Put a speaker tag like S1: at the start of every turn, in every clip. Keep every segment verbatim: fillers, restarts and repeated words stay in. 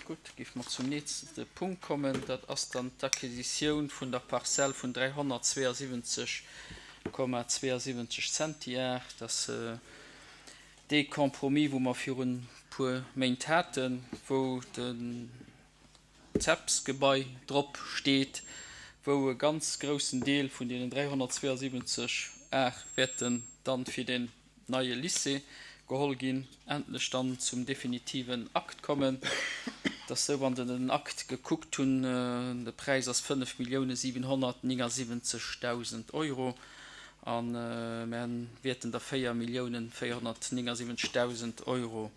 S1: Gutt, géife mer zum nächste Punkt kommen. Dat ass dann d'Acquisitioun vun der Parzell vun dräihonnertzweeasiwwenzeg Komma zweeasiwwenzeg Zentiar. Dat ass dee Compromis, wou mer virun e puer Méint haten, wou den CEPS-Gebai drop steet, wou e ganz groussen Deel vun deenen dräihonnertzweeasiwwenzeg Ar wäerten dann fir den neie Lycée geholl ginn, endlech dann zum definitiven Akt kommen. Et ass esou, wann Der den Akt gekuckt hunn, de Präis ass fënnef Millioune siwenhonnertnéngasiwwenzegdausend Euro a mer wäerten der véier Millioune véierhonnertnéngasiwwenzegdausend Euro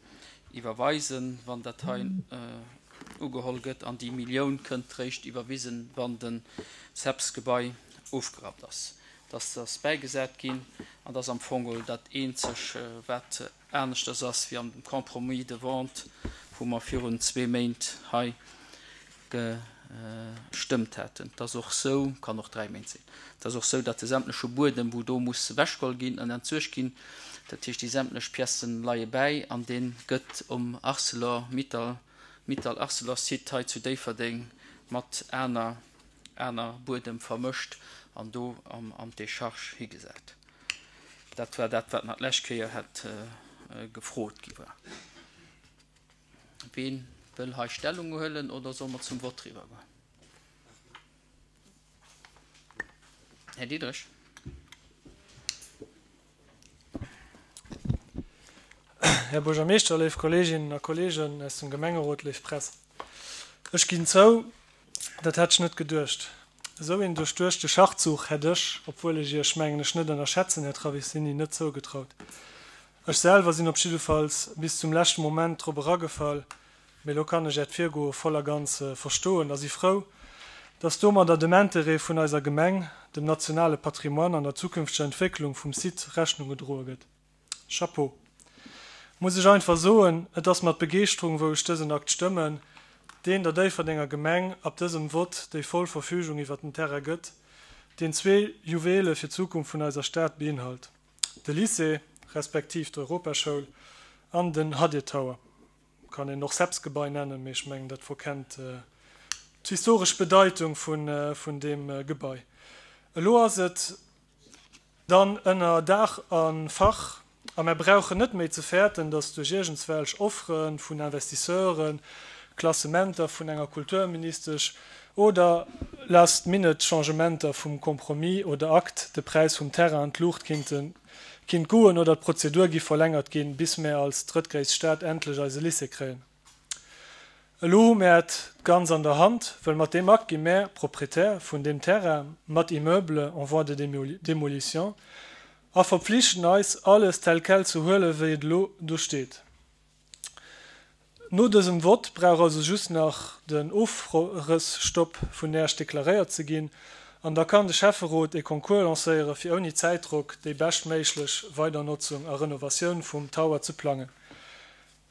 S1: iwwerweisen, wann dat hei ugeholl gëtt. An déi Millioun kënnt réischt iwwerwisen, wann den CEPS-Gebai ofgerappt ass. Dass ass bäigesat ginn an dat ass am Fong geholl dat eenzeg, wat aneschters ass wéi am Compromis de vente, wou mer virun zwee Méint hei gestëmmt haten. Et ass och sou, kann och dräi Méint sinn, et ass och sou, datt de sämtleche Buedem, wou do muss ewechgeholl ginn an entsuergt ginn, dat heescht déi sämtlech Piècen leie bäi an dee gëtt um Arcelor Mittal, Mittal-Arcelor-Site hei zu Déifferdeng mat aner aner Buedem vermëscht an do an d'Décharge higesat. Dat war dat, wat nach d'lescht Kéier hätt gefrot gi war. Ween wëll hei Stellung huelen oder solle mer zum Vott eriwwergoen? Här Diderich.
S2: Här Buergermeeschter, léif Kolleeginnen a Kolleegen aus dem Gemengerot, léif Press. Ech ginn zou, dat hätt ech net geduecht. Esou een duerchduechte Schachzuch hätt ech, obwuel ech Iech, mengen ech, net ënnerschätzen, Här Travissini, net zougetraut. Ech selwer sinn op jiddefalls bis zum leschte Moment drop eragefall, mee elo kann ech Äert Virgoe voll a ganz verstoen a si frou, dass domadder dem Interêt vun eiser Gemeng, dem nationale Patrimoine an der zukünfteger Entwécklung vum Site Rechnung gedroe gëtt. Chapeau! Muss ech einfach soen, et ass mat Begeeschterung wou ech dësen Akt stëmmen, deen der Déifferdenger Gemeng ab dësem Vott déi voll Verfügung iwwert den Terrain gëtt, deen zwee Juwele fir d'Zukunft vun eiser Stad beinhalt, de Lycée, respektiv d'Europaschoul an den Hadir Tower. Kann een och CEPS-Gebai nennen, mee ech mengen dat verkennt d'historesch Bedeitung vun deem Gebai. Elo ass et dann ënner Daach a Fach a mär brauchen net méi ze fäerten, datt duerch iergendswelch Offere vun Investisseuren, Klassementer vun enger Kulturministesch oder last minute Changementer vum Compromis oder Akt de Präis vum Terrain an d'Luucht kinnte kinnt goen oder d'Prozedur giff verlängert ginn, bis mär als drëttgréisst Stad endlech eise Lycée kréien. Elo hu mär et ganz an der Hand, wëll mat deem Akt gi mär Proprietär vun deem Terrain mat Immeuble en voie de démolition a verpflichten eis, alles tel quel ze huelen, wéi et elo do steet. No dësem Vott brauch also just nach den Ofrësstopp vun Äerch deklaréiert ze ginn an da kann de Schäfferot ee Concours lancéiere fir ouni Zäitdrock déi beschtméiglech Weidernotzung a Renovatioun vum Tower ze plangen.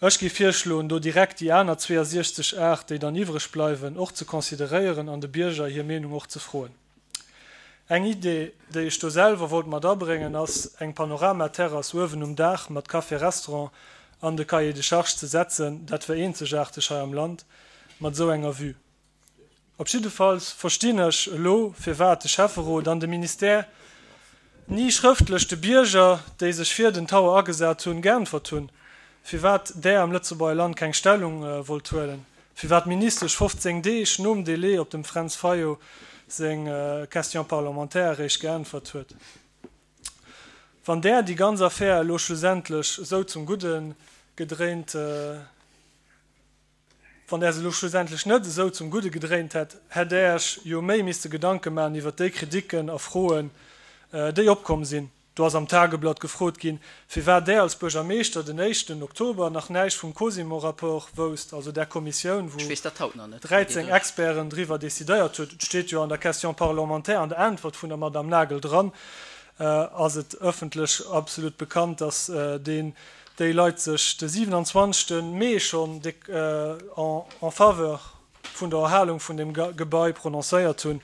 S2: Ech géif virschloen, do direkt déi aner zweeasiechzeg Ar, déi dann iwwreg bleiwen, och ze consideréieren an de Bierger hir Meenung och ze froen. Eng Idee, déi ech do selwer wollt mat abréngen, ass, eng Panoramaterrass uewen um Daach mat Café-Restaurant an de Cahier de charges ze setzen. Dat wär eenzegaarteg hei am Land mat esou enger Vue. Op jiddefalls verstinn ech elo, firwat de Schäfferot an de Ministère ni schrëftlech de Bierger, déi sech fir den Tower agesat hunn, geäntwert hunn, firwat Där am Lëtzebuerger Land keng Stellung wollt huelen, firwat d'Ministesch fofzéng Deeg nom Délai op dem Fränz Fayot seng Question parlementaire eréischt geäntwert huet. Wann Där déi ganz Affär elo schlussendlech esou zum Gudde gedréint. Wann Där se elo schlussendlech net esou zum Gudde gedréint hätt, hätt Där Iech jo méi misste Gedanke maachen iwwert déi Kritiken a Froen, déi opkomm sinn. Do ass am Tageblatt gefrot ginn, firwat Där als Buergermeeschter den éischten Oktober nach näischt vum Cosimo-Rapport wousst, also där Kommissioun, wou
S1: Ech weess dat haut nach net, Här
S2: dräizéng
S1: Diderich.
S2: Experten driwwer decidéiert huet. Et steet jo an der Question parlementaire, an der Äntwert vun der Madame Nagel dran, ass et ëffentlech absolut bekannt, dass deen déi Leit sech de siwenanzwanzegste Mee schonn en faveur vun der Erhalung vun deem Gebai prononcéiert hunn,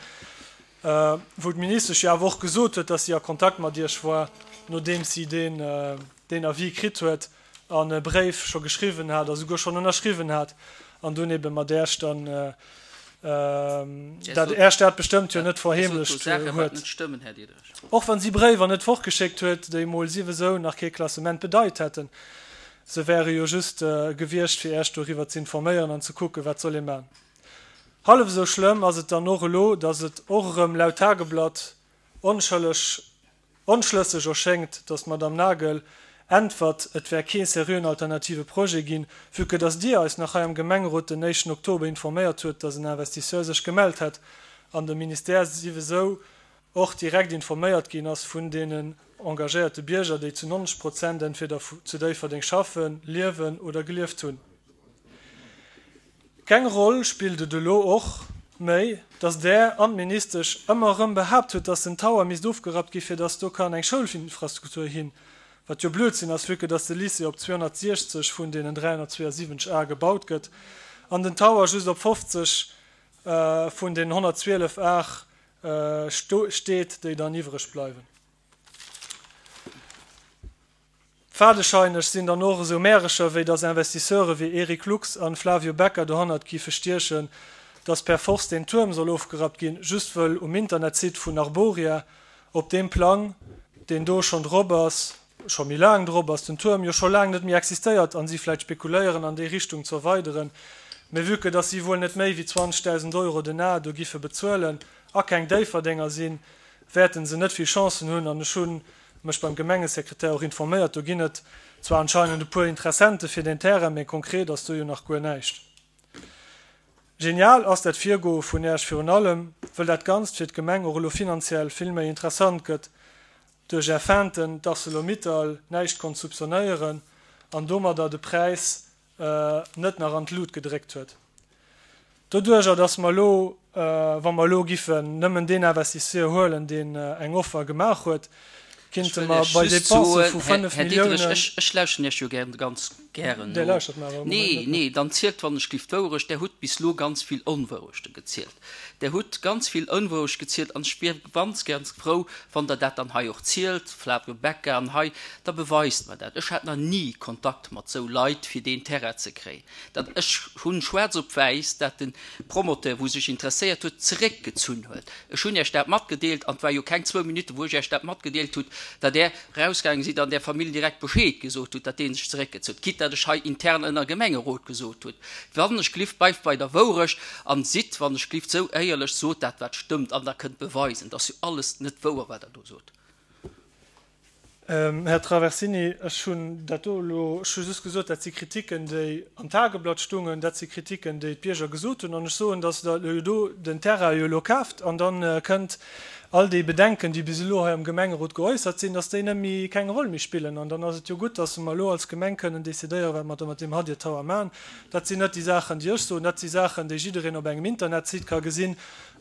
S2: wou d'Ministesch jo awer och gesot huet, dass si a Kontakt mat Iech war, nodeems si deen Avis kritt huet an e Bréif scho geschriwwen hat a souguer schonn ënnerschriwwen hat. an dunn ebe mat Äech dann dat Äech dat bestëmmt jo net verheemlecht huet. Och wann si Bréiwer net fortgeschéckt huet, déi mol siwesou nach kee Klassement bedeit hätten. Se wäre jo just gewiescht fir Äech doriwwer ze informéieren an ze kucken, wat soll ee man. Hallef esou schlëmm ass et dann och elo, datt et och erëm laut Tageblatt onschëlleg, onschlësseg erschéngt, datt d'Madame Nagel äntwert, et wär kee seriöen alternative Projet ginn, vue que datt Dir eis nach hei am Gemengerot den éischten Oktober informéiert huet, datt en Investisseur sech gemellt hätt an de Ministère siwesou och direkt informéiert ginn ass vun deenen engagéierte Bierger, déi zu nonzeg Prozent entweder zu Déifferdeng schaffen, liewen oder gelieft hunn. Keng Roll spillt et elo och méi, dass Der an d'Ministesch ëmmer erëm behaapt hutt, dass den Tower misst ofgerappt gi fir dass do kann eng Schoulinfrastruktur hin, wat jo Blödsinn ass, vue que dass de Lycée op zweehonnertsiechzeg vun deenen dräihonnertzweeasiwwenzeg Ar gebaut gëtt an den Tower just op fofzeg vun deenen honnertzwielef Ar steet, déi dann iwwreg bleiwen. Fadescheineg sinn dann och esou Märecher, wéi dass Investisseure wéi Eric Lux an Flavio Becca dohannert giffe stiechen, dass per force deen Tuerm soll ofgerappt ginn, just wëll um Internetsite vun Arboria op deem Plang, deen do schonn drop ass, scho méi laang drop ass, den Tuerm jo scho laang net méi existéiert an si vläit spekuléieren an déi Richtung ze erweideren, mä vue que dass si wuel net méi wéi zwanzegdausend Euro den Ar do giffe bezuelen a keng Déifferdenger sinn, wäerten se net vill Chancen hunn an ech hu mech beim Gemengesekretär och informéiert, do ginn et zwar anscheinend e puer Interessente fir deen Terrain, mä konkret ass do jo nach guer näischt. Genial ass dat Virgoe vun Äech virun allem, wëll dat Ganzt fir d'Gemeng och elo finanziell vill méi interessant gëtt, duerch Är Feinten d'Arcelor-Mittal näischt konnt soupçonnéieren an domadder de Präis net nach an d'Lut gedréckt huet. Doduerjer, dass mer elo, wa mer elo giffen nëmmen deen Investisseur huelen, deen eng Offer gemaach huet,
S1: Ech
S2: kinnte
S1: wëll
S2: mer
S1: Iech
S2: bei
S1: just
S2: Dépensë
S1: soen,
S2: vu
S1: Här,
S2: fënnef
S1: Här Diderich,
S2: Milliounen.
S1: ech, ech lauschten Iech jo gären, ganz gären
S2: Dir
S1: no.
S2: lauschert mer awer am Moment
S1: Nee,
S2: net no.
S1: nee, dann zielt wann ech gelift d'Wourecht. Der hutt bis elo ganz vill Onwourechte gezielt. Der hutt ganz vill Onwourecht gezielt an ech wier ganz, ganz frou, wann Der dat dann hei och zielt, Flavio Becca an hei, da beweist mer dat. Ech hat nach ni Kontakt mat sou Leit, fir deen Terrain ze kréien. Dat, ech hunn schwaarz op wäiss, dat den Promoteur, wou sech interesséiert huet, zeréckgezunn huet. Ech hunn Iech dat matgedeelt an et war jo keng zwou Minutten, wou ech Iech dat matgedeelt hutt, datt Der rausgaange sidd an der Famill direkt Bescheed gesot hutt, datt dee sech zeréckgezunn huet, quitte datt ech hei intern ënner Gemengerot gesot hutt, wann ech glift, bleift bei der Wourecht an sidd, wann ech glift, sou éierlech, sot dat, wat stëmmt an Der kënnt beweisen, dat ass jo alles net wouer, wat Der do sot.
S2: Här Traversini, ech hunn dat do elo, ech hu just gesot, dat si Kritiken, déi am Tageblatt stungen, dat si Kritiken, déi d'Bierger gesot hunn. An ech soen, datt Der elo do den Terrain jo elo kaaft an da kënnt all déi Bedenken, déi bis elo hei am Gemengerot geäussert sinn, datt déi net méi, keng Roll méi spillen. An dann ass et jo gutt, datt mer elo als Gemeng kënnen decidéieren, wat mer da mat deem Hadir Tower maachen. Dat sinn net déi Saachen, déi ech soen, dat si Saachen, déi jiddereen op engem Internetsite ka gesinn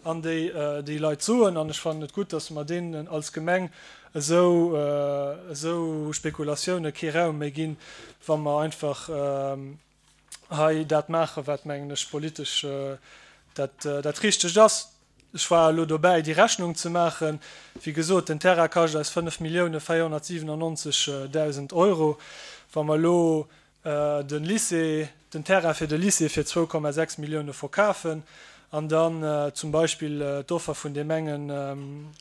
S2: an déi déi Leit soen. An ech fannen et gutt, datt mer deenen als Gemeng esou, esou Spekulatioune kee Raum méi ginn, wa mer einfach hei dat maachen, wat, mengen ech, politesch dat, dat Richtegt ass. Ech war elo dobäi, déi Rechnung ze maachen. Wéi gesot, den Terrain kascht eis fënnef Millioune véierhonnertsiwenannonzeg Dausend Euro. Wa mer elo de Lycée, den Terrain fir de Lycée fir zwou Komma sechs Millioune verkafen an dann zum Beispill d'Offer vun deem engen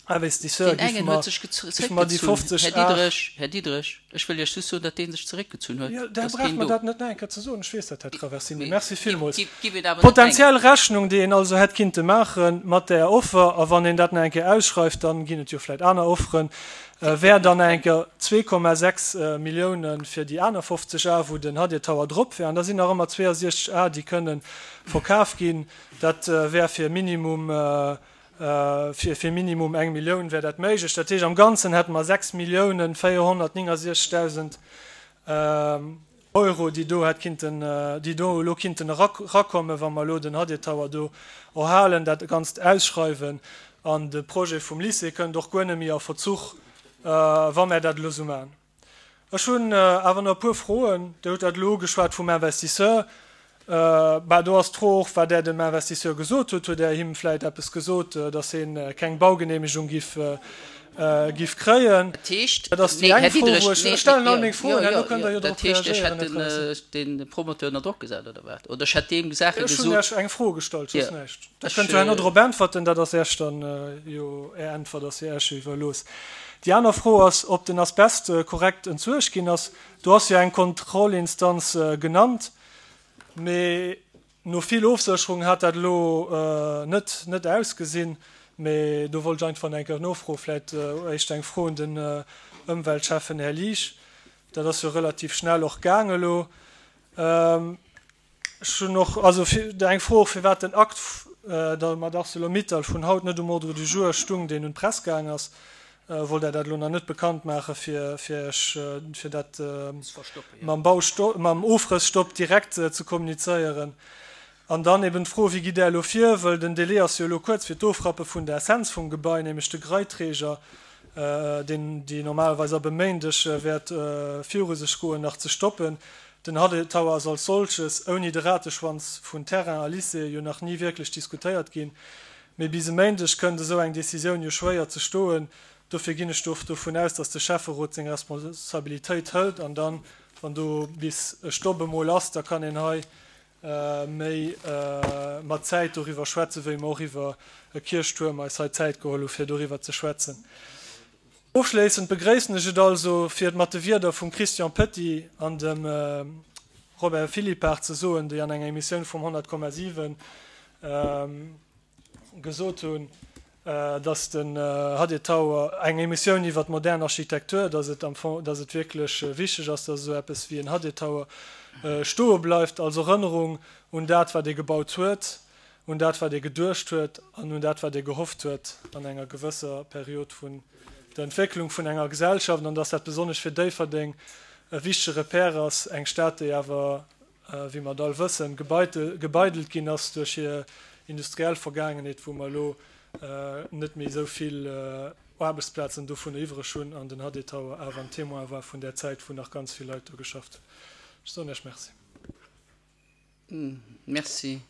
S2: Investisseur,
S1: Deen
S2: géife
S1: engen
S2: mer,
S1: huet sech
S2: géife mer déi
S1: zeréckgezunn.
S2: fofzeg
S1: Här
S2: Ar.
S1: Diderich, Här Diderich, ech wëll Iech just soen, datt dee sech zeréckgezunn huet.
S2: Jo,
S1: Et
S2: da
S1: ass
S2: brauch
S1: keen
S2: mer
S1: do.
S2: dat net nach eng Kéier ze soen. Ech weess dat, Här Traversini.
S1: Mee
S2: Merci
S1: gif,
S2: villmools.
S1: gif, gif et awer net mengen.
S2: D'potenziell Rechnung, déi een also hätt kinnte maache mat där Offer, a wann een dat nach eng Kéier ausschreift, dann ginn et jo vläicht aner Offeren,
S1: Gif et
S2: wär
S1: net
S2: dann nach eng
S1: mengen.
S2: Kéier zwee Komma sechs Milliounen fir déi aner fofzeg Ar, wou den Hadir Tower drop wär. An da sinn nach ëmmer zweeënsiechzeg Ar, déi kënnen verkaf ginn. Dat wär fir Minimum, fir, fir Minimum eng Millioun wär dat méiglech. Dat heescht, am Ganzen hätte mer sechs Milliounen véierhonnertnéngesiechzegdausend Euro, déi do hätt kinnten, déi do elo kinnten erakommen, wa mer elo den Hadir Tower do erhalen, dat Ganzt ausschreiwen. An de Projet vum Lycée kënnt och guer net méi a Verzuch, wa mer dat elo esou maachen. Ech hunn awer nach e puer Froen. Dir hutt dat elo ugeschwat vum Investisseur. Bah, do ass d'Fro och, wat Der dem Investisseur gesot hutt. Hutt Der him vläicht eppes gesot, datt hien keng Baugenehmegung giff giff kréien.
S1: Dat heescht,
S2: Dat ass déi
S1: nee,
S2: eng
S1: Här
S2: Fro,
S1: Diderich,
S2: wou ech,
S1: nee,
S2: ech stellen all
S1: jo,
S2: meng
S1: jo,
S2: Froen, herno
S1: jo,
S2: kënnt Der
S1: jo,
S2: jo
S1: dat
S2: drop
S1: heescht, ech
S2: reagéieren,
S1: hätt
S2: Här Tracy.
S1: den, de Promoteur ënner Drock gesat, oder wat? Oder ech hätt deem Saache
S2: Ech hunn
S1: gesot.
S2: Iech eng Fro gestallt, soss
S1: Jo,
S2: näischt. Der
S1: ech,
S2: kënnt jo herno drop äntwerten, dat ass Iech dann jo, Är Äntwert ass jo Iech jo iwwerlooss. Déi aner Fro ass, ob den Asbest korrekt entsuergt ginn ass. Do ass jo eng Kontrollinstanz genannt, mee no vill Ofsécherung hat dat elo net net ausgesinn. Mee do wollt ech einfach nach eng Kéier nofroen, vläicht éischt eng Fro un den Ëmweltschäffen Här Liesch. Dat ass jo relativ schnell och gaang elo. Ech hunn och also eng Fro och, firwat den Akt da mat ArcelorMittal vun haut net um Ordre du jour stung, deen un d'Press gaang ass. Wollt Der dat elo nach net bekannt maache fir fir Iech fir dat mam Bausto mam Ofrësstopp direkt ze kommunizéieren? An dann eben d'Fro, Wéi gitt Der elo vir? Wëll den Délai ass jo elo kuerz fir d'Ofrappe vun der Essenz vum Gebai, nämlech de Greiträger, deen déi normalerweis ab e Méindeg wäert viru sech goen, nach ze stoppen. Den Hadé Tower ass als solches ouni de Rateschwanz vun Terrain a Lycée jo nach ni wierklech diskutéiert ginn. Mee bis e Méindeg kënnt esou eng Decisioun jo schwéier ze stoen. Dofir ginn ech dovun aus, datt de Schäfferot seng Responsabilitéit hëlt an dann, wann do bis e Stopp emol ass, da kann een hei méi mat Zäit doriwwer schwätzen, wéi mer och iwwer e Kierchtuerm eis hei Zäit geholl hu fir doriwwer ze schwätzen. Ofschléissend begréissen ech et also, fir et mat de Wierder vum Christian Petit an dem Robert Philippart ze soen, déi an enger Emissioun vum honnert Komma siwen gesot hunn, dass den Hadé Tower, eng Emissioun iwwer d'modern Architektur, dass et am Fong, dass et wierklech wichteg ass, dass esou eppes wéi en Hadé Tower stoe bleift als Erënnerung un dat, wat ee gebaut huet, un dat, wat ee geduecht huet an un dat, wat ee gehofft huet an enger gewësser Period vun der Entwécklung vun enger Gesellschaft, an dass dat besonnesch fir Déifferdeng e wichtege Repère ass, eng Stad, déi awer, wéi mer et all wëssen, gebeidelt ginn ass duerch hir industriell Vergaangenheet, wou mer elo net méi esou vill Aarbechtsplazen dovunner iwwreg hunn an den Hadé Tower awer en Témoin war vun där Zäit, wou nach ganz vill Leit do geschafft hunn. Ech soen Iech Merci.
S1: Merci,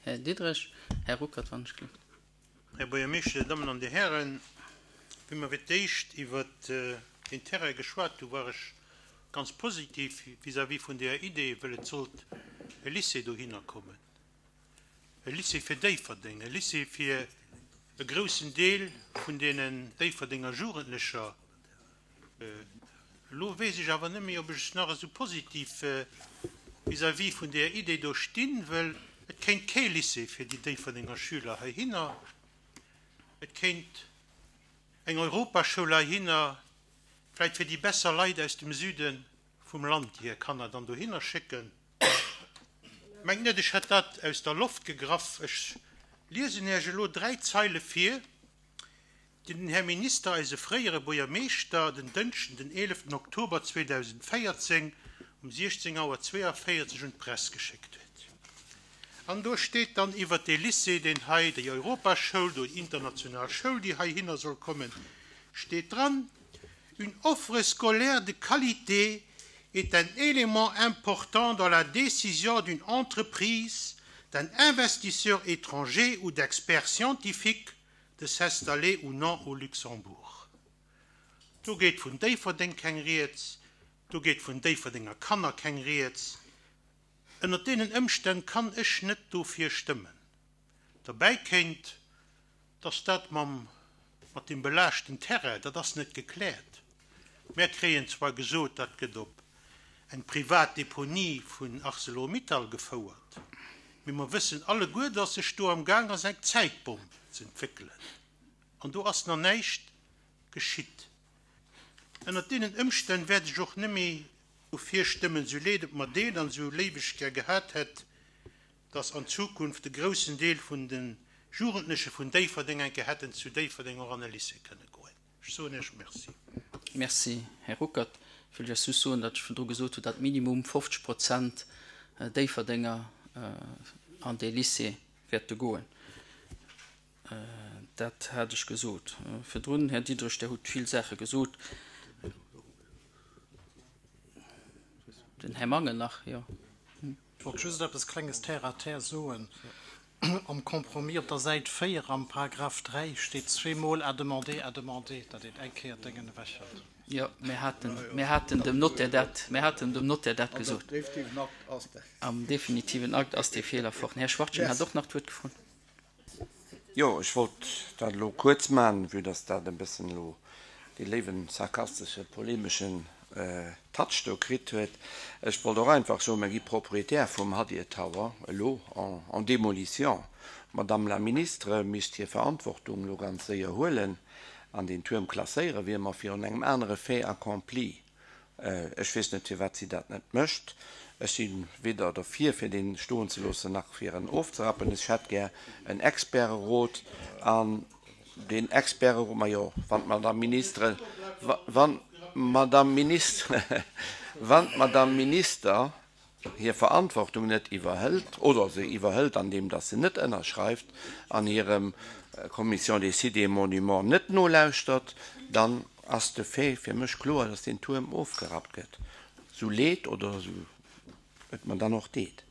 S1: Här Diderich. Här Ruckert, wann ech gelift.
S3: Här Buergermeeschter, Dir Dammen an Dir Hären, wéi mer fir d'éischt iwwert deen Terrain geschwat hu, war ech ganz positiv vis-à-vis vun där Idee, well et sollt e Lycée dohinner kommen, e Lycée fir Déifferdeng, e Lycée fir e groussen Deel vun deenen Déifferdenger Jugendlecher. Elo weess ech awer net méi, ob ech nach esou positiv vis-à-vis vun där Idee do stinn, well et kéint kee Lycée fir déi Déifferdenger Schüler heihinner, et kéint eng Europaschoul heihinner, vläicht fir déi besser Leit aus dem Süde vum Land, déi hir Kanner dann dohinner schécken. Mengt net, ech hätt dat aus der Loft gegraff. Ech liesen Iech elo dräi Zeile vir, déi den Här Minister, eise fréiere Buergermeeschter, den Dënschden, den eeleften Oktober zweedausendvéierzéng um siechzéng Auer zweeënvéierzeg un d'Press geschéckt huet. An do steet dann iwwert dee Lycée, deen hei, déi Europaschoul, do déi international Schoul, déi heihinner soll kommen, steet dran, Une offre scolaire de qualité est un élément important dans la décision d'une entreprise, d'un investisseur étranger ou d'experts scientifiques de s'installer ou non au Luxembourg. Do geet vun Déifferdeng keng Rieds, do geet vun Déifferdenger Kanner keng Rieds. Ënnert deenen Ëmstänn kann ech net dofir stëmmen. Derbäi kéint, dass dat mam, mat dem belaaschten Terrain, dat ass net gekläert. Mär kréien zwar gesot, dat gëtt op eng privat Deponie vun Arcelor-Mittal gefouert, mee mer wëssen alleguer, dass sech do am Gaang ass eng Zäitbomm ze entwéckelen, an do ass nach näischt geschitt. Ënnert deenen Ëmstänn wäert ech och net méi dofir stëmmen, sou leed et mer deet an sou léif ech gär gehat hätt, dass an Zukunft e groussen Deel vun de Jugendleche vun Déifferdeng eng Kéier hätten zu Déifferdeng och an e Lycée kënne goen. Ech soen Iech Merci.
S1: Merci, Här Ruckert. Ech wëll just soen, datt ech virdru gesot hunn, datt minimum fofzeg Prozent Déifferdenger an dee Lycée wäerte goen. Dat hat ech gesot virdrun. Här Diderich, Dir hutt vill Saache gesot. Den Här Mangen nach, jo.
S4: Ech wollt just eppes Klenges terre à terre soen. Am Compromis op der Säit véier am Paragraph dräi steet zweemol à demander, à demander, datt een eng Kéier d'Déngen ewechhëlt.
S1: Jo, mir haten, mir haten dem Notaire dat, mir haten dem Notaire dat gesot.
S5: Am definitiven Akt ass dat.
S1: Am definitiven Akt ass dee Feeler fort. Den Här Schwachtgen hat och nach d'Wuert gefrot.
S6: Jo, ech wollt dat elo kuerz maachen, vue dass dat e bëssen elo dee léiwen sarkastesche, polemeschen Touch do kritt huet. Ech wollt och einfach soen, mir gi Propriétaire vum Hadir Tower elo en démolition. D'Madame la Ministre misst hir Verantwortung elo ganz séier huelen an deen Tuerm klasséieren, wier mer virun engem anere Fait accompli. Ech weess net, firwat si dat net mécht. Ech si weder derfir, fir deen stoen ze loossen, nach fir en ofzerappen. Ech hätt gär en Experterot an deen Experterot, majo, wann d'Madame Ministre, wann d'Madame Ministre, wann d'Madame Minister hir Verantwortung net iwwerhëlt oder se iwwerhëlt, andeem datt se net ënnerschreift an hirem Commission des sites et monuments net nolauschtert, dann ass de Fait fir mech kloer, datt deen Tuerm ofgerappt gëtt, sou leed oder sou et mer dann och deet.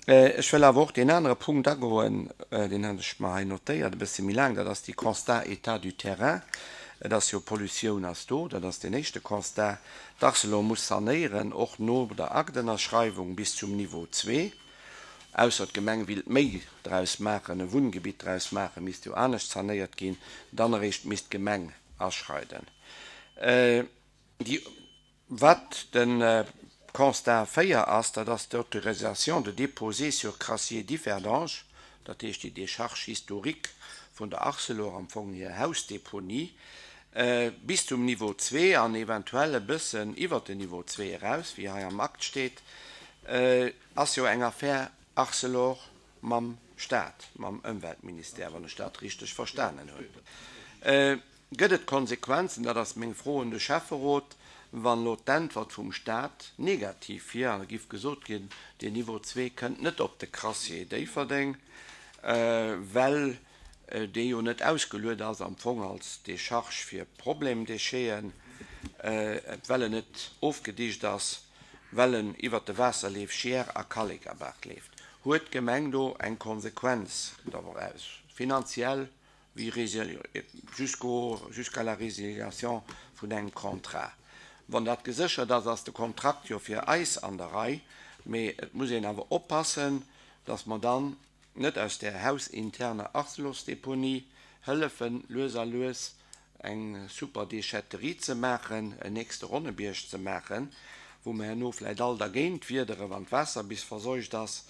S6: Ech wëll awer och deen anere Punkt agoen, deen hat ech mer hei notéiert, e bësse méi laang, dat ass déi Constat état du terrain. Et ass jo, Pollutioun ass do, dat ass deen éischte Constat. D'Arcelor muss sanéieren, och no der Aktënnerschreiwung bis zum Niveau zwee. Ausser d'Gemeng willt méi draus maachen, e Wunngebitt draus maachen, misst jo anescht sanéiert ginn, dann eréischt misst d'Gemeng aschreiden. Déi, wat de Constat véier ass, dat ass d'Autorisation de déposer sur crassier Differdange, dat heescht déi Décharge historique vun der Arcelor, am Fong hir Hausdeponie, bis zum Niveau zwee an eventuell e bëssen iwwert den Niveau zwee eraus, wéi hei am Akt steet, ass jo eng Affär Arcelor mam Staat, mam Ëmweltministère, wann ech dat richteg verstanen hunn. Gëtt et Konsequenzen, dat ass meng Fro un de Schäfferot, wann elo d'Äntwert vum Staat negativ wier an et giff gesot ginn, deen Niveau zwee kënnt net op de Crassier Déifferdeng, well dee jo net ausgeluet ass am Fong als Décharge fir Problemdécheten, well en net ofgedicht ass, well en iwwert de Waasserleef Scheer a Kallekabaach leeft. Huet d'Gemeng do eng Konsequenz doraus, finanziell wéi jusqu'au, jusqu'à la résiliation vun engem Contrat? Wann dat geséchert ass, ass de Kontrakt jo fir eis an der Rei, mee et muss een awer oppassen, dass mer dann net aus där hausinterner Arcelosdeponie hëllefen, lues a lues eng super Déchetterie ze maachen, en nächste Ronnebierg ze maachen, wou mer herno vläicht all dergéint wiederen, wann d'Waasser bis verseucht ass,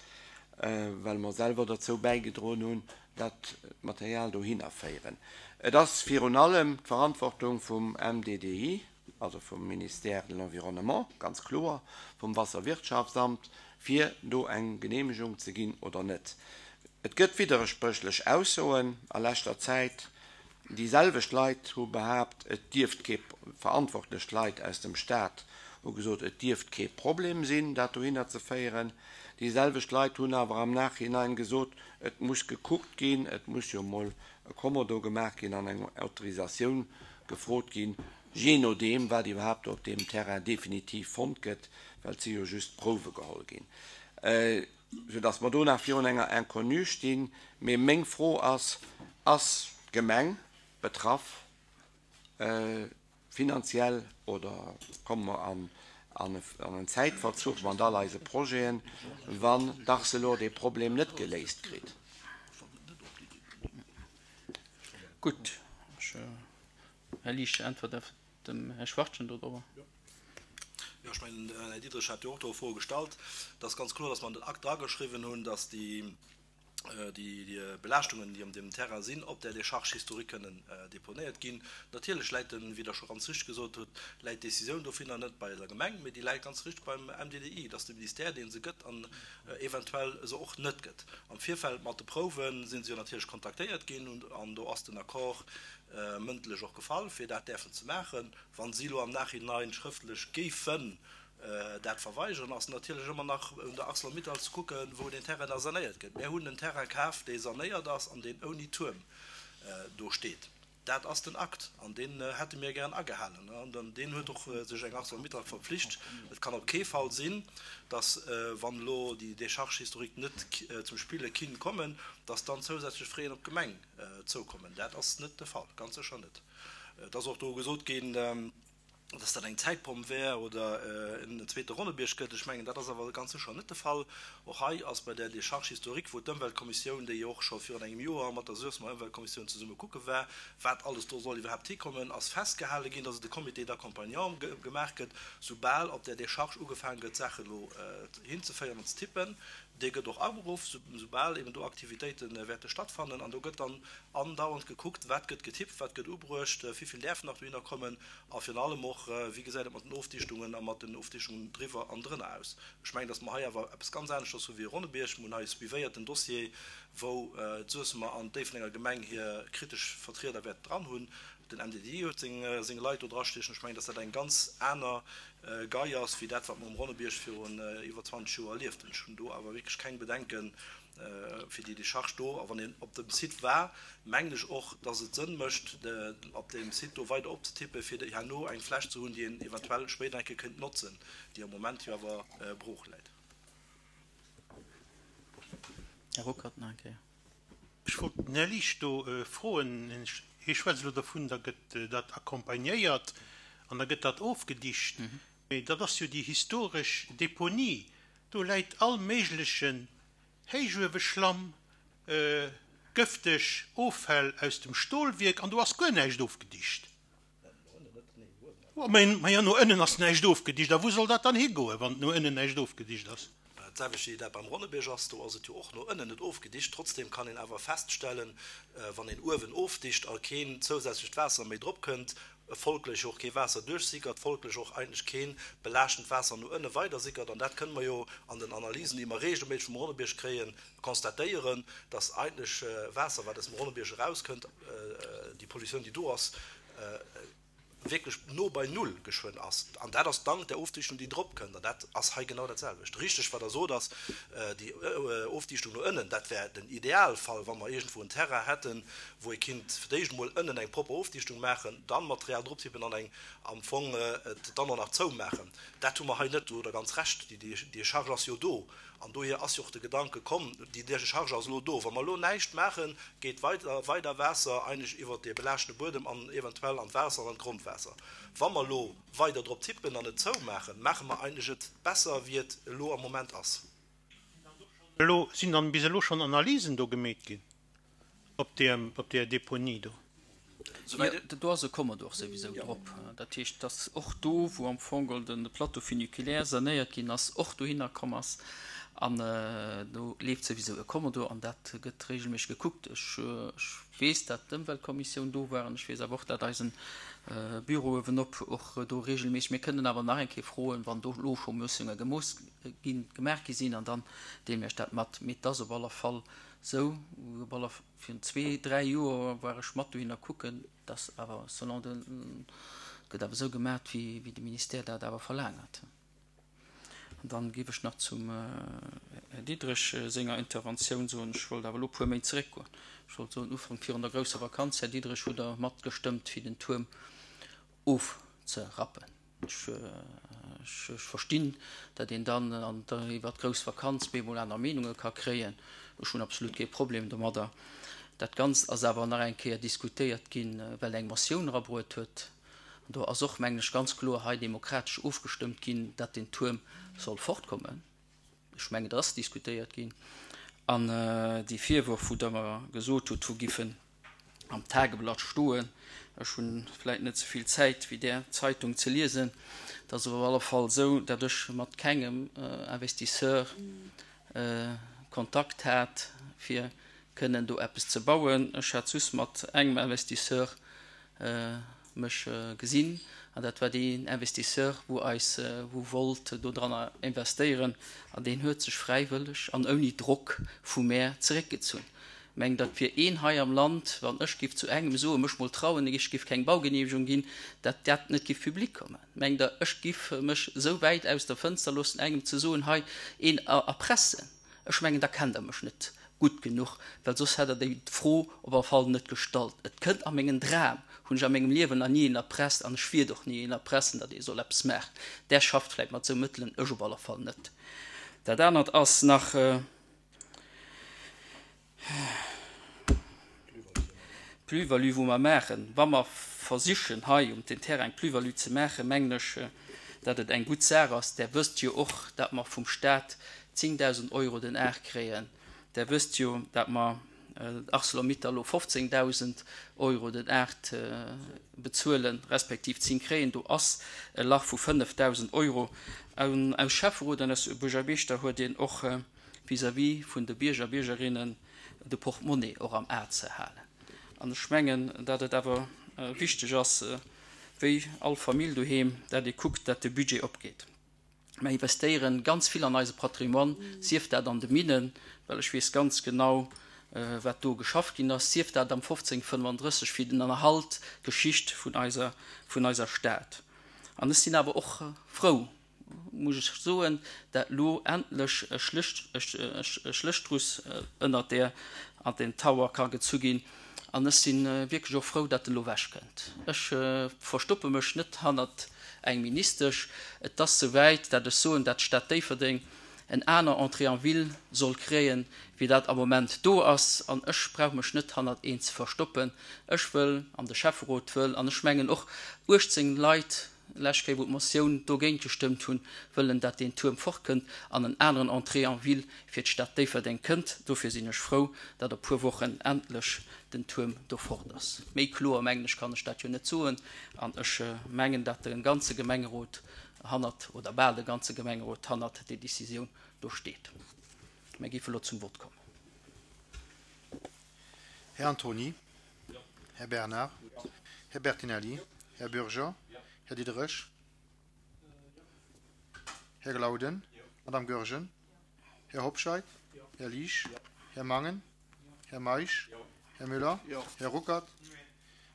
S6: well mer selwer derzou bäigedroen hunn, dat Material dohinner féieren. Et ass virun allem d'Verantwortung vum M D D I, also vum Ministère de l'Environnement, ganz kloer, vum Wasserwirtschaftsamt, fir do eng Geneemegung ze ginn oder net. Et gëtt widderspréchlech Aussoen a leschter Zäit. Déi selwecht Leit hu behaapt, et dierft kee, verantwortlech Leit aus dem Staat hu gesot, et dierft kee Problem sinn, dat dohinner ze féieren. Déi selwecht Leit hunn awer am Nachhinein gesot, et muss gekuckt ginn, et muss jo mol e Kommodo gemaach ginn an eng Autorisatioun gefrot ginn, jee nodeem, wat iwwerhaapt op deem Terrain definitiv fonnt gëtt, well et si jo just Prouwe geholl ginn, soudass mer do nach virun enger Inconnue stinn. Mee meng Fro ass, Ass d'Gemeng betraff finanziell oder komme mer an en Zäitverzuch mat all eise Projeten, wann d'Arcelor dee Problem net geléist kritt?
S1: Gutt, Här Liesch, äntwert dem Här Schwachtgen do drobber.
S7: Jo, ech mengen, den Här Diderich hat jo och do Froe gestallt. Et ass ganz kloer, dass mer an den Akt drageschriwwen hunn, dass déi déi Belaaschtungen, déi op deem Terrain sinn, op där Décharge historique kënnen deponéiert ginn. Natierlech läit den, wéi Der scho ganz richtig gesot hutt, läit d'Décisioun dovunner net bei der Gemeng, mee déi läit ganz richtig beim M D D I. Et ass de Ministère, dee se gëtt an eventuell se och net gëtt. Am Virfeld mat de Prouwe si se jo natierlech kontaktéiert ginn an do ass den Accord mëndlech och gefall, fir dat däerfen ze maachen. Wa si elo am Nachhinein schrëftlech géifen dat verweigeren, ass natierlech ëmmer nach un der Arcelor-Mittal ze kucken, wou deen Terrain da sanéiert gëtt. Mär hunn en Terrain kaf, dee sanéiert ass an deen ouni Tuerm do steet. Dat ass den Akt, an deen hätte mir gären agehalen. An deen huet och sech eng ArcelorMittal verpflicht. Et kann op kee Fall sinn, dass, wann elo déi Décharge historique net zum Spille kinn kommen, dass dann zousätzlech Fräen op d'Gemeng zoukommen. Dat ass net de Fall, ganz sécher net. Et ass och do gesot ginn, dass dat eng Zäitbomm wär oder en zweete Ronnebierg gëtt. Ech mengen, dat ass awer ganz sécher net de Fall. Och hei ass bei där Décharge historique, wou d'Ëmweltkommissioun, déi jo och scho virun engem Joer mat der Suessemer Ëmweltkommissioun zesumme kucke war, wat alles do soll iwwerhaapt hikommen, ass festgehale ginn, dass et e Comité d'accompagnement gemaach gëtt, soubal op där Décharge ugefaange gëtt, Saachen elo hinzeféieren an ze tippen. Dee gëtt och aberuff, soubal eben do Aktivitéite wäerte stattfannen. An do gëtt dann andauernd gekuckt, wat gëtt getippt, wat gëtt ubruecht, wivill däerfen nach dohinner kommen a virun allem och, wéi gesäit et mat den Ofdichtungen a mat den Ofdichtungen driwwer an drënner aus. Ech mengen, datt mer hei awer eppes ganz aneschters hu wéi e Ronnebierg. Mir hunn hei e suivéiert den Dossier, wou d'Suessemer an d'Déifferdenger Gemeng hir kritesch Vertrieder wäerten dran hunn. Den M D D I huet seng Leit do drastiechen. Ech mengen, datt dat eng ganz aner Gei ass wéi dat, wat mer um Ronnebierg virun iwwer zwanzeg Joer erlieft hunn. Ech hunn do awer wierklech keng Bedenke fir déi Décharge do. A wann een op dem Site war, mengen ech och, datt et Sënn mécht, op deem Site do weider opzetippen, fir herno eng Fläch ze hunn, déi een eventuell spéider eng Kéier kéint notzen, déi am Moment jo awer brooch läit.
S1: Här Ruckert, nach eng Kéier.
S3: Ech wollt den Här Liesch do froen, hie schwätzt elo dovun, da gëtt dat accompagnéiert an da gëtt dat ofgedicht. Mee dat ass jo déi historesch Deponie. Do läit all méiglechen Héichueweschlamm, gëfteg Offäll aus dem Stolwierk an do ass guer näischt ofgedicht. Ma jo, no ënnen ass näischt ofgedicht. A wou soll dat dann higoen, wann no ënnen näischt ofgedicht ass?
S7: D'selwecht wéi dat beim Ronnebierg ass, do ass et jo och no ënnen net ofgedicht. Trotzdem kann een awer feststellen, wann een uewen ofdicht a keen zousätzlecht Waasser méi drop kënnt, folglech och kee Waasser duerchsickert, folglech och eigentlech keen belaaschtend Waasser no ënne weider sickert. An dat kënne mer jo an den Analysen, déi mer regelméisseg vum Ronnebierg kréien, constatéieren, dass eigentlech Waasser, wat aus dem Ronnebierg erauskënnt, déi Pollutioun, déi do ass, wierklech no bei null geschwënn ass. An dat ass dank der Ofdichtung, déi drop kënnt. An dat ass hei genau dat selwecht. Richteg, wat Der sot, ass déi Ofdichtung no ënnen, dat wär den Idealfall, wa mer iergendwou en Terrain hätten, wou ee kinnt fir d'éischt emol ënnen eng propper Ofdichtung maachen, dann Material droptippen an eng am Fong et dann och nach zoumaachen. Dat hu mer hei net. Do hutt Der ganz Recht, déi Décharge ass jo do. An dohier ass jo och de Gedanke komm, déi Décharge ass elo do. Wa mer elo näischt maachen, geet weider, weider Waasser eigentlech iwwert dee belaaschtene Buedem an eventuell an d'Waasser an an d'Grondwaasser. Wa mer elo weider drop tippen an et zoumaachen, maache mer eigentlech et besser, wéi et elo am Moment ass.
S3: Elo sinn dann bis elo schonn Analysen do gemeet ginn op deem, op där Deponie do?
S1: Jo, do ass e Commodore souwisou drop. Dat heescht, dass och do, wou am Fong geholl de Plateau funiculaire sanéiert ginn ass, och dohinner komm ass. An do leeft souwisou e Commodore an dat gëtt regelméisseg gekuckt. Ech weess, dat d'Ëmweltkommissioun do war an ech weess awer och, dat eisen Büro uewenop och do regelméisseg. Mir kënnen awer nach eng Kéier froen, wann do elo scho Miessunge gemooss ginn, gemaach gi sinn, an dann deele mir iech dat mat. Mee et ass op alle Fall sou, op alle virun zwee, dräi Joer war ech mat dohinner kucken, dass awer selon de, gëtt awer esou gemaat, wéi, wéi de Ministère dat awer verlaangert. An dann géif ech nach zum Här Diderich senger Interventioun soen, ech wollt awer elo puer Méint zeréckgoen. Ech wollt soen, Ufank virun der grousser Vakanz, Här Diderich, hutt Der matgestëmmt, fir den Tuerm ofzerappen. Ech, ech verstinn, datt een dann an der, iwwer d'grouss Vakanz bemol aner Meenunge ka kréien. Ech hunn absolut kee Problem domadder. Dat Ganzt ass awer nach eng Kéier diskutéiert ginn, well eng Motioun erabruet huet. An do ass och, mengen ech, ganz kloer hei demokratesch ofgestëmmt ginn, datt den Tuerm soll fortkommen. Ech mengen, dat ass diskutéiert ginn. An déi Virwërf, wou Der mer gesot hutt, wou giffen am Tageblatt stoen, ech hunn vläicht net esou vill Zäit wéi där Zeitung ze liesen, dat ass op alle Fall esou, datt ech mat kengem Investisseur Kontakt hat, fir kënnen do eppes ze bauen. Ech hat just mat engem Investisseur mech gesinn, an dat war deen Investisseur, wou eis, wou wollt do dranner investéieren, an deen huet sech fräiwëlleg an ouni Drock vu mär zeréckgezunn. Meng, dat wier een hei am Land, wann ech giff zu engem soen, mech mol trauen, ech giff keng Baugenehmegung ginn, dat dat net giff public kommen. Meng der, ech giff mech sou wäit aus der Fënster loossen, engem ze soen, hei een erpressen. Ech mengen, da kennt der mech net gutt genuch, well soss hätt Der déi Fro op alle Fall net gestallt. Et kënnt a mengen Dram, hunn ech a mengem Liewen nach ni een erpresst an ech wiert och ni een erpressen, datt ee soll eppes maachen. Där schafft vläicht mat esou Mëttelen, ech op alle Fall net. Dat anert ass nach d'Plus-value, wou mer maachen. Wa mer versichen, hei um den Terrain eng Plus-value ze maachen, mengen ech, datt et eng gutt Saach ass. Där wësst jo och, datt mer vum Stat zéngdausend Euro den Ar kréien. Där wësst jo, datt mer Arcelor-Mittal elo fofzéngdausend Euro den Ar bezuelen, respektiv zéng kréien. Do ass e Lach vu fënnefdausend Euro. An aus Schäfferot an aus Buergermeeschter huet een och vis-à-vis vun de Bierger a Biergerinnen de Portemonnaie och am A ze halen. An ech mengen, datt et awer wichteg ass, wéi all Famill doheem, datt ee kuckt, datt de Budget opgeet. Mer investéieren ganz vill an eise Patrimoine, sief dat an de Minnen, well ech weess ganz genau, wat do geschafft ginn ass, sief dat am fofzéng fënnefandrësseg fir den Erhalt, d'Geschicht vun eiser, vun eiser Stad. An ech sinn awer och frou, muss ech soen, dat elo endlech e Schléchtruss ënnert där an den Tower ka gezu ginn. An ech si wierklech och frou, dat en elo ewechkënnt. Ech verstoppe mech net hannert eng Ministesch. Et ass souwäit, dat ech soen, dat d'Stad Déifferdeng en aner Entrée en ville soll kréien, wéi dat am Moment do ass. An ech brauch mech net hannert een ze verstoppen. Ech wëll, an de Schäfferot wëll, an ech mengen och uechtzéng Leit, lescht Kéier wou d'Motioun dogéint gestëmmt hunn, wëllen, dat deen Tuerm fortkënnt an en aneren Entrée en ville fir d'Stad Déifferdeng kënnt. Dofir sinn ech frou, dat a puer Wochen endlech den Tuerm do fort ass. Méi kloer, mengen ech, kann ech dat jo net soen. An ech mengen, dat de ganze Gemengerot hannert, oder bal de ganze Gemengerot hannert déi Décisioun do steet. Mir géife elo zum Vott kommen.
S5: Här Antony. Här Bernard. Här Bertinelli. Här Bürger. Här Diderich. Här Glauden. Madame Goergen. Här Hobscheit. Här Liesch. Här Mangen. Här Meisch. Här Müller. Här Ruckert.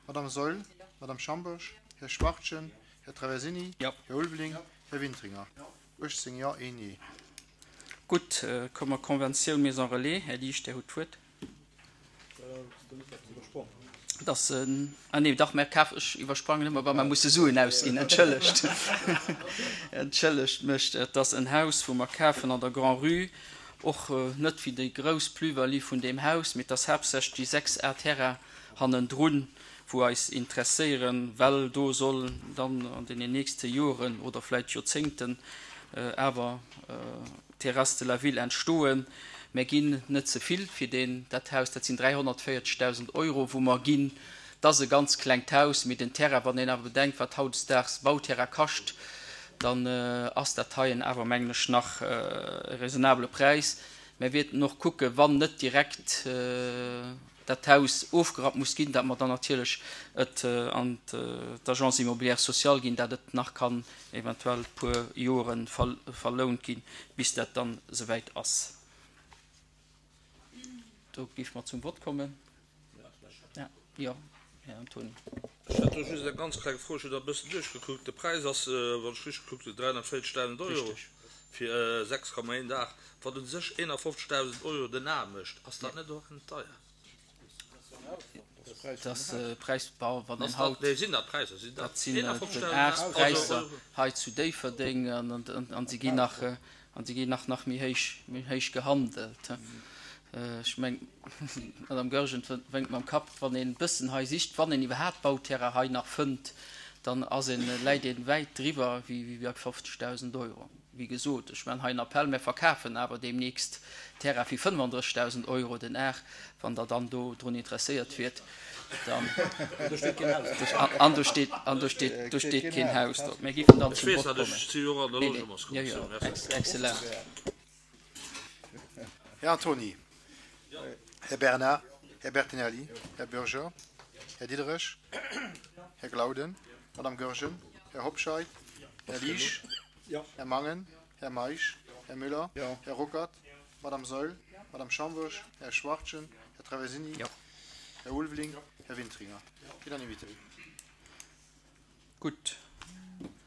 S5: Madame Saeul. Madame Schambourg. Här Schwachtgen. Här Traversini. Här Ulveling. Här Wintringer. uechtzéng Jo, een Nee.
S1: Gutt, komme mer Konventioun Maison Relais. Här Liesch, Dir hutt d'Wuert. Dass, ah nee, dach, mä kaf, ech iwwersprangen ëmmer, wa mer musse Suen ausginn, entschëllegt, entschëllegt mech. Et ass en Haus, wou mer kafen an der Grand-Rue, och net wéi déi grouss Plus-value vun deem Haus, mee et ass haaptsächlech déi sechs Ar Terrain hannendrun, wou eis interesséieren, well do soll dann an deenen nächste Joren oder vläicht Joerzéngten awer d'Terrasse de la Ville entstoen. Mir ginn net ze vill fir deen, dat Haus, dat sinn dräihonnertvéierzegdausend Euro, wou mer ginn. Dat ass e ganz klengt Haus, mee den Terrain, wann een awer bedenkt, wat hautdesdaags Bauterrain kascht, dann ass dat heien awer, mengen ech, nach e raisonnabele Präis. Mir wäerten och kucken, wann net direkt dat Haus ofgerappt muss ginn, dat mer dann natierlech et an d'Agence immobilière sociale ginn, dat et nach kann eventuell e puer Jore verlount ginn, bis dat dann esouwäit ass. Do géife mer zum Vott kommen. Jo, Här Antony.
S8: Ech hätt do just eng ganz kleng Fro. Ech hunn dat e bëssen duerchgekuckt. De Präis ass, wann ech richteg gekuckt hunn, dräihonnertvéierzegdausend Euro fir sechs Komma een Dag, wat u sech eenafofzegdausend Euro den Ar mécht. Ass dat net och deier?
S1: Dat ass de Präis, wann een haut.
S8: Nee, sinn dat Präisser? Sinn
S1: dat sinn d'Aarspräisser hei zu Déifferdeng an se ginn nach, an se ginn nach nach méi héich, méi héich gehandelt. Ech meng, d'Madame Goergen wénkt mam Kapp, wann een e bëssen hei sicht, wann een iwwerhaapt Bauterrain hei nach fënnt, dann ass een, läit een wäit driwwer wéi bei fofzegdausend Euro. Wéi gesot, ech maachen hei en Appell, mir verkafen awer deemnächst Terrain fir fënnefandrëssigdausend Euro den Ar. Wann Der dann do drun interesséiert wiert, dann. An do steet, an do steet, do steet keen Haus drop. Mir géifen dann zum Vott kommen. Nee, nee, jo, jo, excellent.
S5: Här Antony. Här Bernard. Här Bertinelli. Här Bürger. Här Diderich. Här Glauden. Madame Goergen. Här Hobscheit. Här Liesch. Här Mangen. Här Meisch. Här Müller. Här Ruckert. Madame Saeul. Madame Schambourg. Här Schwachtgen. Här Traversini. Här Ulveling. Här Wintringer. Unanimité.
S1: Gutt.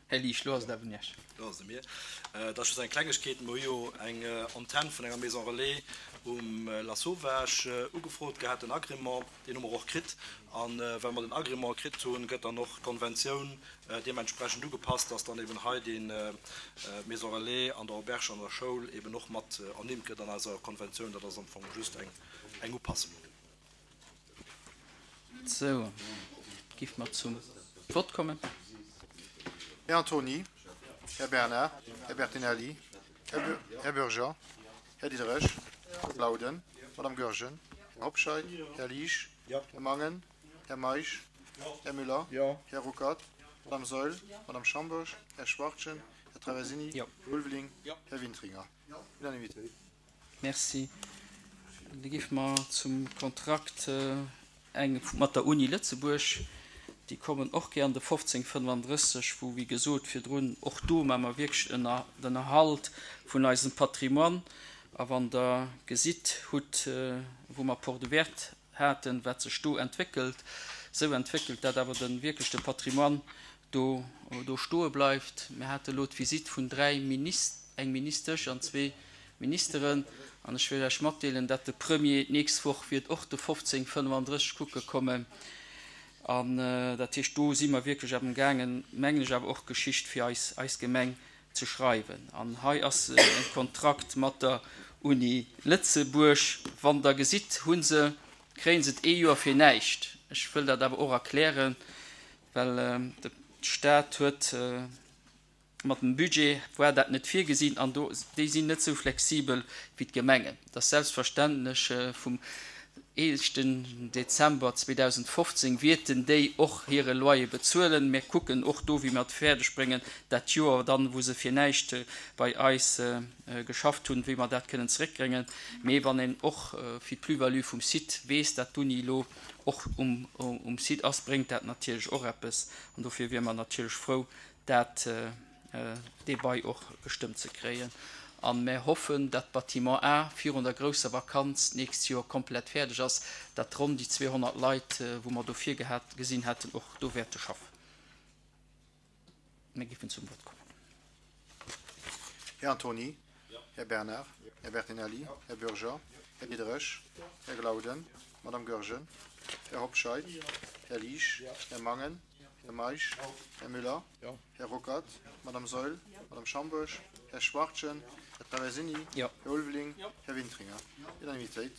S1: Här Liesch, elo ass et awer un Iech.
S7: Elo ass et u mir. Et ass just eng Klengegkeet. Mer hu jo eng Antenn vun enger Maison Relais um Lasauvage ugefrot gehat, den Agrément. Deen hu mer och kritt. A well mer den Agrément kritt hunn, gëtt dann och d'Konventioun deementsprechend ugepasst, dass dann eben hei déi Maison Relais an der Auberge an der Schoul eben och mat ernimmt gëtt an eiser Konventioun. Dat ass am Fong just eng Upassung.
S1: Sou, giff mer zum Vott kommen.
S5: Här Antony, Här Bernard, Här Bertinelli, Här Bürger, Här Diderich, Här Glauden, Madame Goergen, Här Hobscheit, Här Liesch, Här Mangen, Här Meisch, Här Müller, Här Ruckert, Madame Saeul, Madame Schambourg, Här Schwachtgen, Här Traversini, Här Ulveling, Här Wintringer. Unanimitéit.
S1: Merci. Da géife mer zum Kontrakt eng mat der Uni Lëtzebuerg. Déi kommen och gär an de fofzéng fënnfandrësseg, wou, wéi gesot virdrun, och do maache mer wierklech den Erhalt vun eisem Patrimoine. A wann Der gesitt hutt, wou mer Porte ouverte haten, wat sech do entwéckelt, esou entwéckelt dat awer de wierklech de Patrimoine do do stoe bleift. Mir hate elo d'Visitt vun dräi Minis-, eng Ministesch an zwee Ministeren, an ech wëll lech matdeelen, dat de Premier d'nächst Woch wiert och de fofzéng fënnfandrësseg kucke kommen. An dat heescht, do si mer wierklech amgaangen, mengen ech, awer och Geschicht fir eis, eis Gemeng ze schreiwen. An hei ass e Kontrakt mat der Uni Lëtzebuerg. Wann Der gesitt, hu se, kréie se et ee Joer fir näischt. Ech wëll dat awer och erklären, well de Stat huet mat dem Budget, war dat net virgesinn an do, déi sinn net esou flexibel wéi d'Gemengen. Et ass selbstverständlech, vum éischten Dezember zweedausendfofzéng wierten déi och hire Loyer bezuelen. Mir kucken och do, wéi mer et fäerdeg bréngen, dat Joer dann, wou se fir näischt bei eis geschafft hunn, wéi mer dat kënnen zeréckbréngen. Mee wann een och fir d'Plus-value vum Site weess, dat d'Uni elo och um Site ass, bréngt dat natierlech och eppes. An dofir wiere mer natierlech frou, dat dee Bail och gestëmmt ze kréien. A mär hoffen, dat d'Bâtiment A virun der grousser Vakanz d'nächst Joer komplett fäerdeg ass, dat ronn déi zweehonnert Leit, wou mer do virgesinn haten, och do wäerte schaffen. Mir géifen zum Vott kommen.
S5: Här Antony, Här Bernard, Här Bertinelli, Här Bürger, Här Diderich, Här Glauden, Madame Goergen, Här Hobscheit, Här Liesch, Här Mangen, Här Meisch, Här Müller, Här Ruckert, Madame Saeul, Madame Schambourg, Här Schwachtgen, Här Traversini, Här Ulveling, Här Wintringer. Unanimitéit.